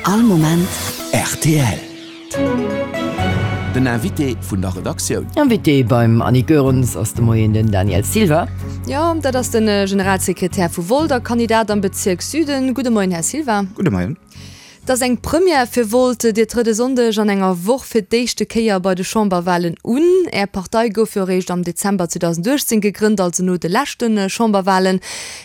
All Moment rtl. Den Invité vun der Redaktioun. Invité beim Annick Goerens ass de Moien den Daniel Silva. Jo, dat ass de Generalsekretär vu Volt a Kandidat am Bezierk Süden. Gudde Moien, Här Silva. Gudde Moien. Et ass eng Première fir Volt, Dir trëtt e Sonndeg an enger Woch fir d'éischte Kéier bei de Chamberwalen un. Är Partei gouf jo eréischt am Dezember 2018 gegrënnt, also no de leschte Chamberwalen.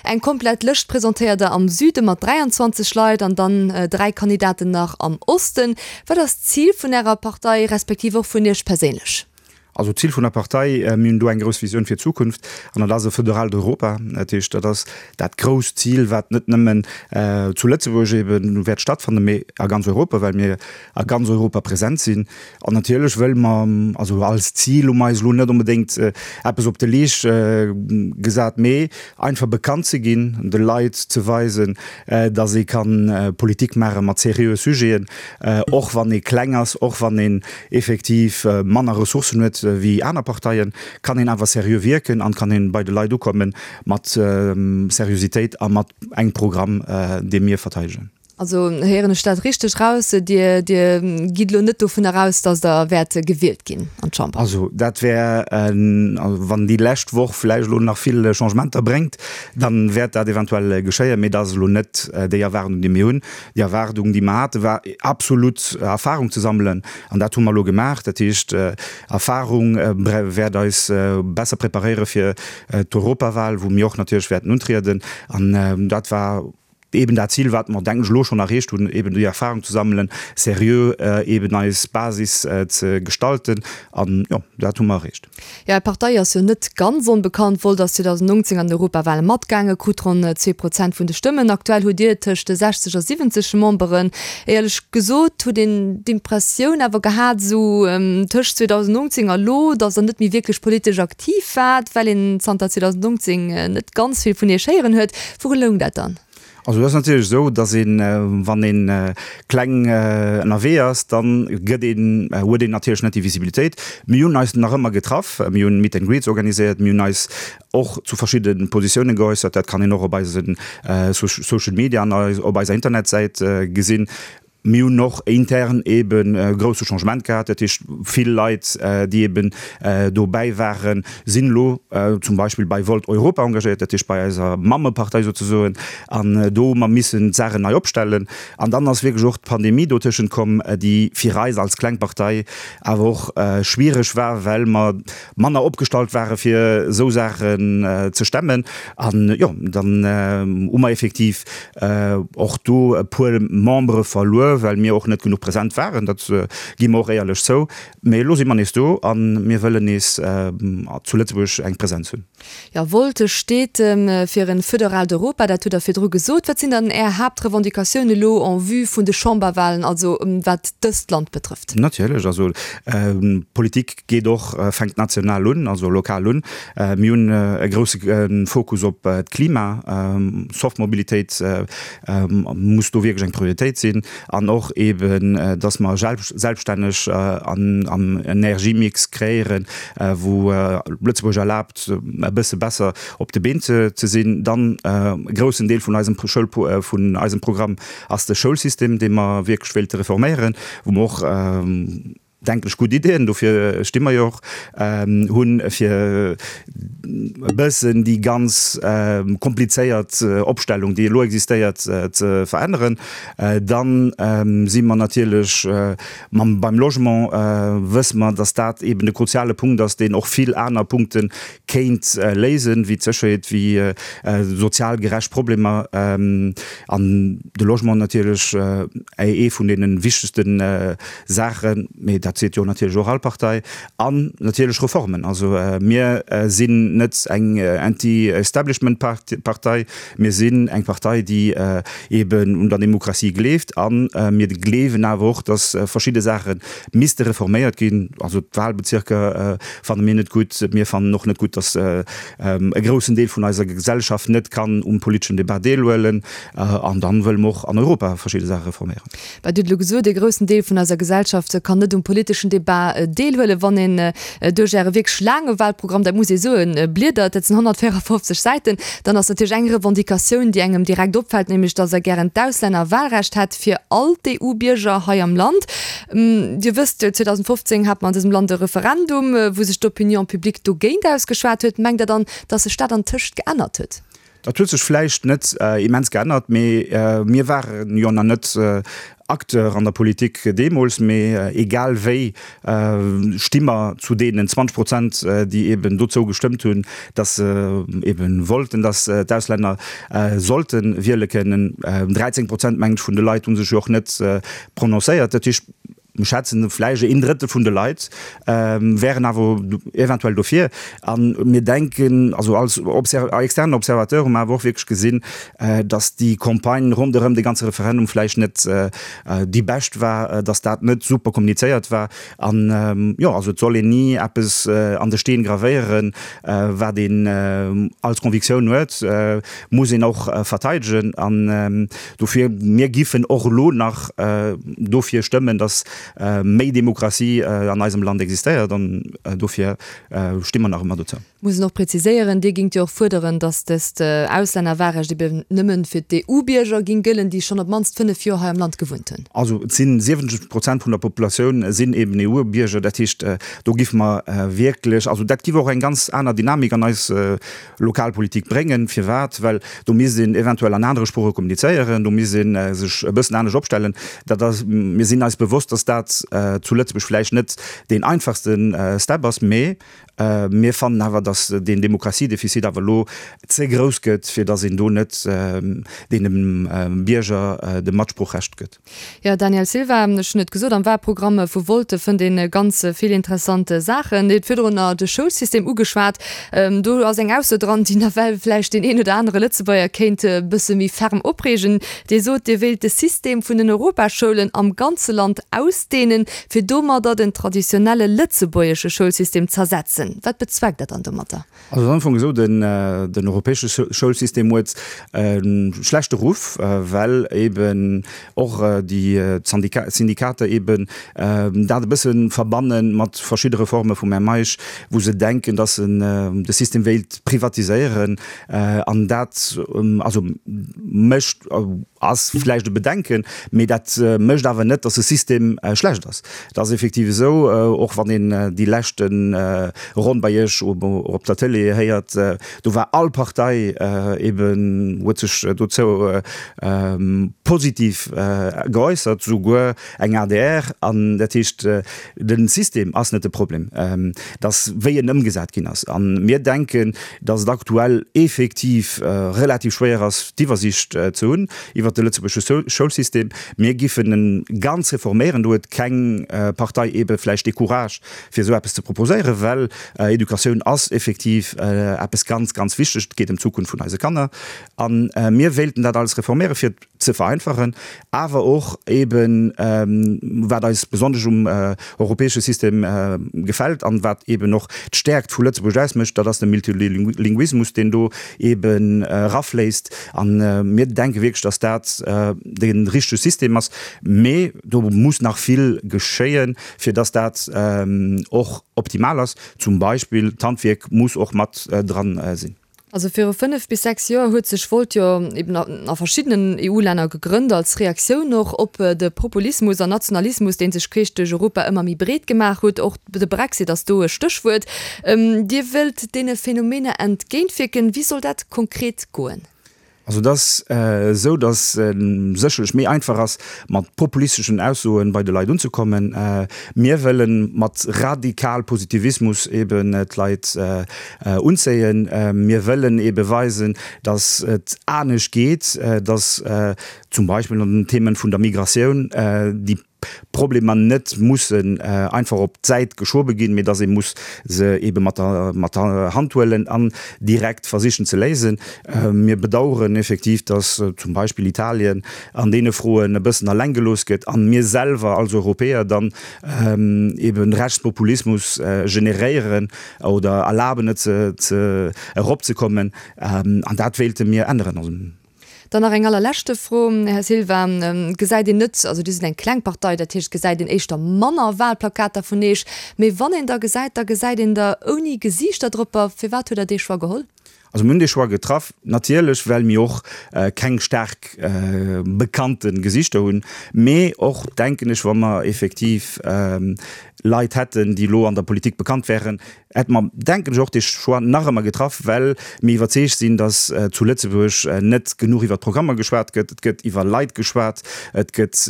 Eng komplett Lëscht presentéiert der am Süde mat 23 Leit an dann 3 Kandidaten nach am Osten. Wat ass d'Zil vun Ärer Partei, respektiv och vun Iech perséinlech? Also d'Zil vun der Partei, mir hunn do eng grouss Visioun fir d'Zukunft an dat ass e föderalt Europa. Dat heescht, dat ass dat grousst Zil, wat net nëmmen zu Lëtzebuerg ebe wäert stattfannen, mee a ganz Europa, well mir a ganz Europa present sinn. An natierlech wëlle mer, also als Zil hu mer eis elo net onbedéngt eppes op de Leescht gesat, mee einfach bekannt ze ginn, de Leit ze weisen, datt ee ka Politik maache mat seriöe Sujeten, och wann ee kleng ass, och wann een effektiv manner Ressourcen huet wéi aner Parteien, kann een awer seriö wierken an kann een bei de Leit ukomme mat Seriositéit a mat engem Programm, dee mir verteidegen. Also héieren ech dat richteg raus, Dir Dir gitt elo net dovunner aus, datt Der wäert gewielt ginn an d'Chamber? Also dat wär, wann déi lescht Woch vläicht elo nach vill Changementer bréngt, dann wäert dat eventuell geschéien, mee dat ass elo net déi Erwaardung, déi mir hunn. Déi Erwaardung, déi mer haten, war absolut Erfahrung ze sammelen. An dat hu mer elo gemaach. Dat heescht, Erfahrung wäert eis besser preparéiere fir d'Europawahl, wou mir och natierlech wäerten untrieden. An dat war eben dat Zil, wat mer, denken ech, elo schonn erreecht hunn, eben déi Erfahrung ze sammelen, seriö eben eis Basis ze gestalten. An jo, dat hu mer erreecht. Jo, Är Partei ass jo net ganz onbekannt. Volt ass 2019 an d'Europawale matgaangen, krut ronn 2 Prozent vun de Stëmmen. Aktuell hutt Dir tëscht 60 a 70 Memberen. Éierlech gesot huet een d'Impressioun awer gehat, esou tëscht 2019 a lo, datt Der net méi wierklech politesch aktiv waart, well een zanter 2019 net ganz vill vun Iech héieren huet. Wouru loung dat dann? Also et ass natierlech esou, datt een, wann ee kleng ënnerwee ass, da gëtt een, huet een natierlech net déi Visibilitéit. Mir hunn eis nach ëmmer getraff, mir hunn Meet and Greets organiséiert, mir hunn eis och zu verschidde Positiounen geäussert. Dat kann een och op eise Social Media an op eiser Internetsäit gesinn. Mir hunn och intern eeben e grousse Changement gehat. Dat heescht, vill Leit, déi eeben dobäi waren, sinn elo zum Beispill bei Volt Europa engagéiert, dat heescht bei eiser Mammepartei souzesoen. An do hu mer missen d'Saachen nei opstellen. An dann ass wierklech och d'Pandemie dotëschent komm, déi fir eis als kleng Partei awer och schwiereg war, well mer manner opgestallt ware fir esou Saachen ze stemmen. An jo, dann hu mer effektiv och do e puer Membere verluer, well mir och net genuch present waren. Dat gi mer och éierlech zou. Mee elo si mer nees do a mir wëllen nees zu Lëtzebuerg eng Presenz hunn. Jo, Volt steet fir e föderalt Europa, dat hutt Der virdru gesot. Wat sinn dann Är Haaptrevendicatiounen elo en vue vun de Chamberwahlen, also wat dëst Land betrëfft? Natierlech, also Politik geet och, fänkt national un, also lokal un. Mir hunn e grousse Fokus op d'Klima, soft Mobilitéit muss do wierklech eng Prioritéit sinn an och eeben, dass mer selbststänneg am Energiemix kreéieren, wou Lëtzebuerg erlaabt, e bësse besser op de Been ze sinn. Dann e groussen Deel vun eisem Schoul, vun eisem Programm ass de Schoulsystem, dee mer wierklech wéilte reforméieren, wou mer och, denken ech, gutt Iddien, dofir sti mer jo och, hunn, fir e bëssen déi ganz komplizéiert Opstellung, déi elo existéiert, ze veränneren. Da si mer natierlech mam, beim Logement wësse mer, datt dat eeben de kruziale Punkt ass, deen och vill aner Punkte kéint léisen, wéi d'Sécherheet, wéi sozial gerecht Problemer. An de Logement natierlech ee vun deene wichtegste Saachen, mee dat seet jo natierlech och all Partei, an natierlech Reformen. Also mir sinn net eng Anti-Establishment-Partei, mir sinn eng Partei, déi eeben un der Demokratie gleeft a mir gleewen awer och, datt verschidde Saache misste reforméiert ginn. Also d'Wahlbezirker fanne mir net gutt, mir fannen och net gutt, datt e groussen Deel vun eiser Gesellschaft net kann um politeschen Debat deelhuelen an dann wëlle mer och an Europa verschidde Saache reforméieren. Wat Dir hutt elo gesot, e groussen Deel vun eiser Gesellschaft kann net um politeschen. politeschen Debat deelhuelen. Wann een duerch Äre wierklech laange Wahlprogramm, dat muss ee soen, bliedert, dat sinn 154 Säiten, dann ass natierlech eng Revendicatioun, déi engem direkt opfält, nämlech datt Der gären d'Auslännerwahlrecht hätt fir all d'EU-Bierger hei am Land. Dir wësst, 2015 hat mer an dësem Land e Referendum, wou sech d'Opinion publique dogéint ausgeschwat huet. Mengt Der dann, datt sech dat antëscht geännert huet? Dat huet sech vläicht net immens geännert, mee mir ware jo nach net Acteur an der Politik deemools. Mee egal wéi sti mer zu deenen 20 Prozent, déi eben dozou gestëmmt hunn, datt se eben wollten, datt d'Auslänner sollte wiele kënnen. 13 Prozent, mengen ech, vun de Leit hu sech jo och net prononcéiert. Dat heescht, Mir schätzen, vläicht een Drëttel vun de Leit wären awer eventuell dofir. A mir denken, also als externen Observateur hu mer awer och wierklech gesinn, datt déi Campagne ronderëm de ganze Referendum vläicht net déi bescht war, datt dat net super kommunizéiert war. An jo, also et soll een ni eppes an de Steen gravéieren, wat een als Convictioun huet, muss een och verteidegen. An Dofir, mir giffen och elo nach dofir stëmmen, dass méi Demokratie an eisem Land existéiert, an dofir sti mer nach ëmmer dozou. Muss een och präziséieren, Dir gingt jo och fuerderen, dass dëst Auslännerwahlrecht eben nëmmen fir d'EU-Bierger ging gëllen, déi schonn op d'mannst 5 Joer hei am Land gewunnt hunn. Also et sinn 70 Prozent vun der Populatioun sinn eben EU-Bierger. Dat heescht, do giffe mer wierklech, also dat giff och eng ganz aner Dynamik an eis Lokalpolitik bréngen. Firwat? Well do misst een eventuell an anere Sprooche kommunizéieren, do misst ee sech e bëssen anescht opstellen. Dat ass, mir sinn eis bewosst, datt dat zu Lëtzebuerg vläicht net deen einfachste Step ass, mee mir fannen awer, datt deen Demokratiedefizit awer elo ze grouss gëtt, fir datt een do net deene Bierger de Matsproochrecht gëtt. Jo, Daniel Silva, ech hunn et gesot, am Wahlprogramm vu Volt fënnt een ganz vill interessant Saachen. Dir hutt virdrunner de Schoulsystem ugeschwat. Do ass eng Ausso dran, déi nawell vläicht deen een oder anere Lëtzebuerger kéint e bësse méi ferm opreegen. Dir sot, Dir wéilt de System vun den Europaschoulen am ganze Land ausdehnen, fir domadder den traditionelle lëtzebuergesche Schoulsystem z'ersetzen. Wat bezweckt Der dann domatter? Also et ass am Fong esou, den europäesche Schoulsystem huet e schlechte Ruff, well eben och déi Syndikater eben dat e bësse verbanne mat verschidde Reforme vum Här Meisch, wou se denken, datt en de System wéilt privatiséieren. An dat also mécht, ass vläicht e Bedenken, mee dat mécht awer net, datt de System schlecht ass. Et ass effektiv esou, och wann een déi leschte Ronn bei Iech op der Tëlee héiert, do war all Partei eben, huet sech dozou positiv geäussert, souguer eng adr. An dat heescht, de System ass net de Problem, et ass wéi en ëmgesat ginn ass. A mir denken, datt et aktuell effektiv relativ schwéier ass, d'Iwwersicht ze hunn iwwert de lëtzebuergesche Schoulsystem. Mir giffen e ganz reforméieren. Do huet keng Partei eebe vläicht dee Courage, fir esou eppes ze proposéieren, well Educatioun ass effektiv eppes ganz, ganz Wichteg. Et geet ëm d'Zukunft vun eise Kanner. A mir wéilten dat alles reforméieren, fir et ze vereinfachen, awer och eeben, wat eis besonnesch um europäesche System gefält an wat eeben och d'Stäerkt vu Lëtzebuerg ausmécht, dat ass de Multilinguismus, deen do eeben erafléisst. A mir denke wierklech, dass dat de richtege System ass. Mee do muss nach vill geschéien, fir dass dat och optimal ass. Zum Beispill d'Handwierk muss och mat dran sinn. Also viru 5 bis 6 Joer huet sech Volt jo eben a verschiddenen EU-Länner gegrënnt, als Reaktioun och op de Populismus an Nationalismus, dee sech queesch duerch Europa ëmmer méi breet gemaach huet. Och de Brexit ass do e Stéchwuert. Dir wëllt deene Phänomener entgéintwierken. Wéi soll dat konkret goen? Also et ass esou, datt et sécherlech méi einfach ass, mat populisteschen Aussoe bei de Leit unzekommen. Mir wëlle mat radikal Positivismus eben d'Leit unzéien. Mir wëllen ebe weisen, datt et anescht geet, datt zum Beispill an den Themen vun der Migratioun déi Problemer net mussen einfach op d'Säit geschobe ginn, mee dass ee muss se ebe mat der mat der Hand huelen an direkt versichen ze léisen. Mir bedauern effektiv, dass zum Beispill Italien an deene Froen e bëssen alleng gelooss gëtt an mir selwer als Europäer dann eben Rechtspopulismus generéieren oder erlaben et ze eropzekommen. An dat wéilte mir änneren. Also. Dann nach eng allerleschte Fro, Här Silva, Gesäit een net, also Dir sidd eng kleng Partei, dat heescht, gesäit een éischter manner Wahlplakater vun Eech, mee wann een der gesäit, da gesäit een der ouni Gesiichter dropper. Firwat huet Der dee Choix geholl? Also mir hunn dee Choix getraff, natierlech well mir och keng staark bekannte Gesichter hunn, mee och, denken ech, wa mer effektiv Leit hätten, déi elo an der Politik bekannt wären, hätte mer, denken ech, och dee Choix nach ëmmer getraff, well mir iwwerzeegt sinn, datt zu Lëtzebuerg net genuch iwwer d'Programmer geschwat gëtt. Et gëtt iwwer Leit geschwat, et gëtt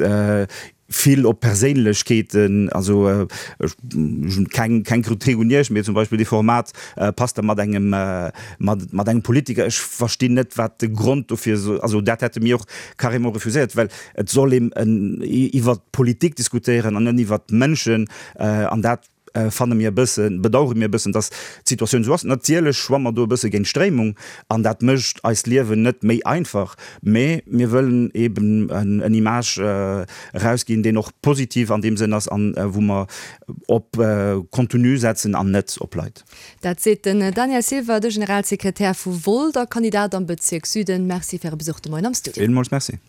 vill op Perséinlechkeeten, also ech hunn keng keng Kritik un Iech, mee zum Beispill dee Format passt da mat engem mat mat engem Politiker, ech verstinn net wat de Grond dofir soll, also dat hätte mir och carrément refuséiert, well et soll een iwwer d'Politik diskutéieren an net iwwer d'Mënschen an dat fanne mir e bëssen, bedauere mir e bëssen, dass d'Situatioun esou ass. Natierlech schwamme mer do e bësse géint d'Stréimung an dat mécht eist Liewen net méi einfach, mä mir wëllen eben en Image erausginn, deen och positiv an deem Sënn ass an wou mer op Contenu setzen an net op Leit. Dat seet den Daniel Silva, de Generalsekretär vu Volt a Kandidat am Bezierk Süden. Merci fir Äre Besuch de Moien am Studio. Villmools Merci.